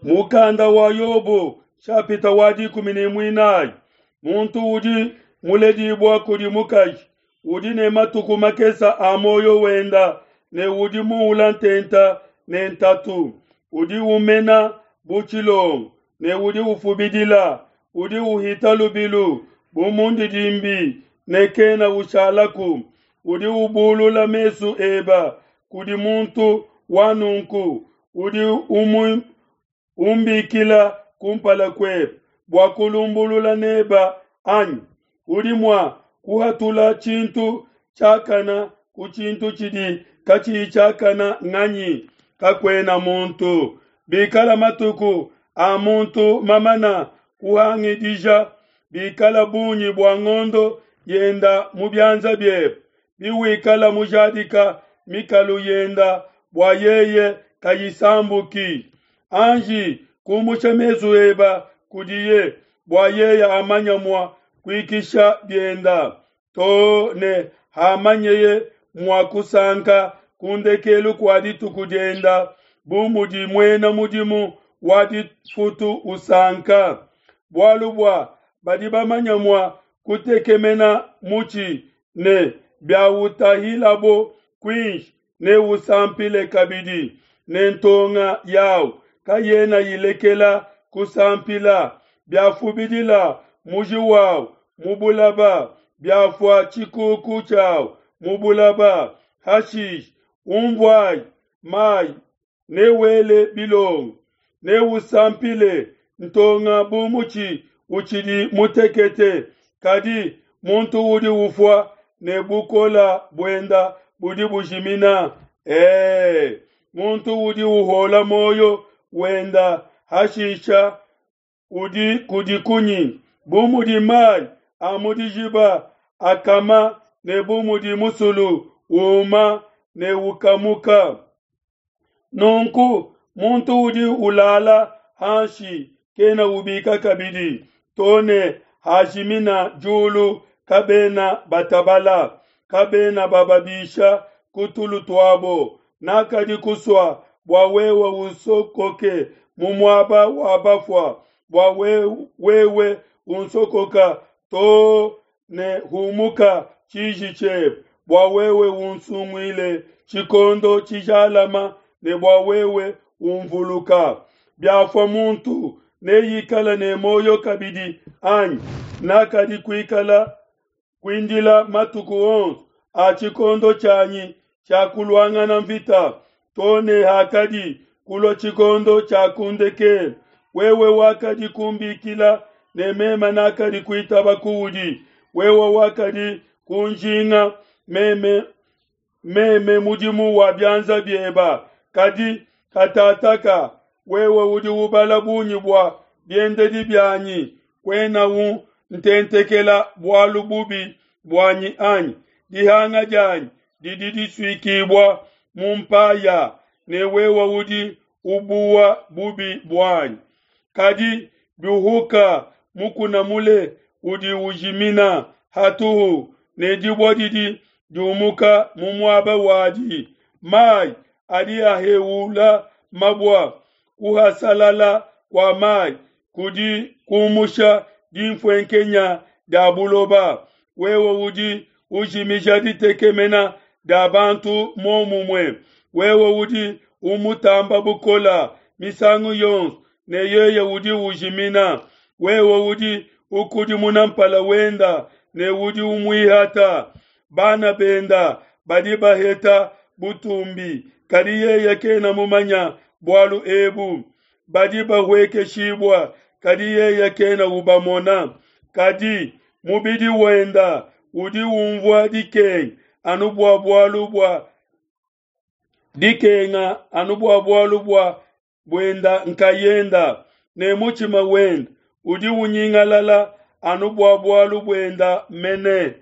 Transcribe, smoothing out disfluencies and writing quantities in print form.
Mukanda wa Yobo shapita wa 14. Muntu udi muledibua kudi mukaji udi ne matuku makesa a moyo wenda ne udi muula ntenta ne ntatu. Udi umena bu tshilongo ne udi ufubidila, udi uhita lubilu bu mundidimbi ne kena ushalaku. Udi ubulula mesu eba kudi muntu wa nunku, udi umbikila kumpala kuebe bua kulumbulula neba anyi? Udi mua kuhatula tshintu tshiakana ku tshintu tshidi katshiyi tshiakana nganyi? Kakuena muntu. Bikala matuku a muntu mamana kuhangidija, bikala bungi bua ngondo yenda mu bianza biebe, biwikala mujadika mikalu yenda bua yeye kayisambuki, anji kumusha mesu eba kudiye bua yeye amanya mua kuikisha bienda, to ne hamanyeye mua kusanka ku ndekelu kua dituku dienda, bu mudi muena mudimu wa difutu usanka. Bualu bua badi bamanya mua kutekemena mutshi ne biautahilabo kuinshi ne usampile kabidi, ne ntonga yawu kayena ilekela kusampila. Biafubidila muji wawu mu bulaba, biafua tshikuku tshiawu mu bulaba, hashishe umvuayi mayi newele bilongo, neusampile ntonga bu mutshi utshidi mutekete. Kadi muntu udi ufua ne bukola buenda budi bujimina. Muntu udi uhola moyo wenda hashisha udi kudi kunyi? Bu mudi mayi a mu dijiba akama ne bu mudi musulu uma ne ukamuka. Nunku muntu udi ulala hanshi kena ubika kabidi, to ne hajimina diulu kabena batabala, kabena bababisha ku tulu tuabo. Nakadi kusua bua wewe unsokoke mu muaba wa bafua, bua wewe unsokoka to ne humuka tshiji tshiebe, bua wewe unsunguile tshikondo tshijalama ne bua wewe unvuluka. Biafua muntu neyikala ne moyo kabidi anyi? Nakadi kuikala kuindila matuku onso a tshikondo tshianyi tshia kuluangana mvita, to ne hakadi kulua tshikondo tshia kundekela. Wewe wakadi kumbikila ne meme nakadi kuitaba kuudi, wewe wakadi kunjinga meme, meme mudimu wa bianza bieba. Kadi katataka wewe udi ubala bungi bua biendedi bianyi, kuena untentekela bualu bubi buanyi anyi? Dihanga dianyi didi disuikibua mu mpaya, ne wewe udi ubuwa bubi buanyi. Kadi biuhuka mukuna mule udi ujimina hatuhu, ne dibua didi diumuka mu muaba wadi. Mayi adi aheula mabua, kuhasalala kua mayi kudi kumusha dinfuenkenya dia buloba. Wewe udi ujimija ditekemena dia bantu momumue, wewe udi umutamba bukola misangu yonso, ne yeye udi ujimina. Wewe udi ukudimuna mpala wenda ne udi umuihata. Bana benda badi baheta butumbi, kadi yeye kena mumanya bualu ebu. Badi bahuekeshibua, kadi yeye kena ubamona. Kadi mubidi wenda udi umvua dikenga anu bua bualu bua dikenga anu bua bualu bua buenda nkayenda, ne mutshima wenda udi unyingalala anu bua bualu buenda mene.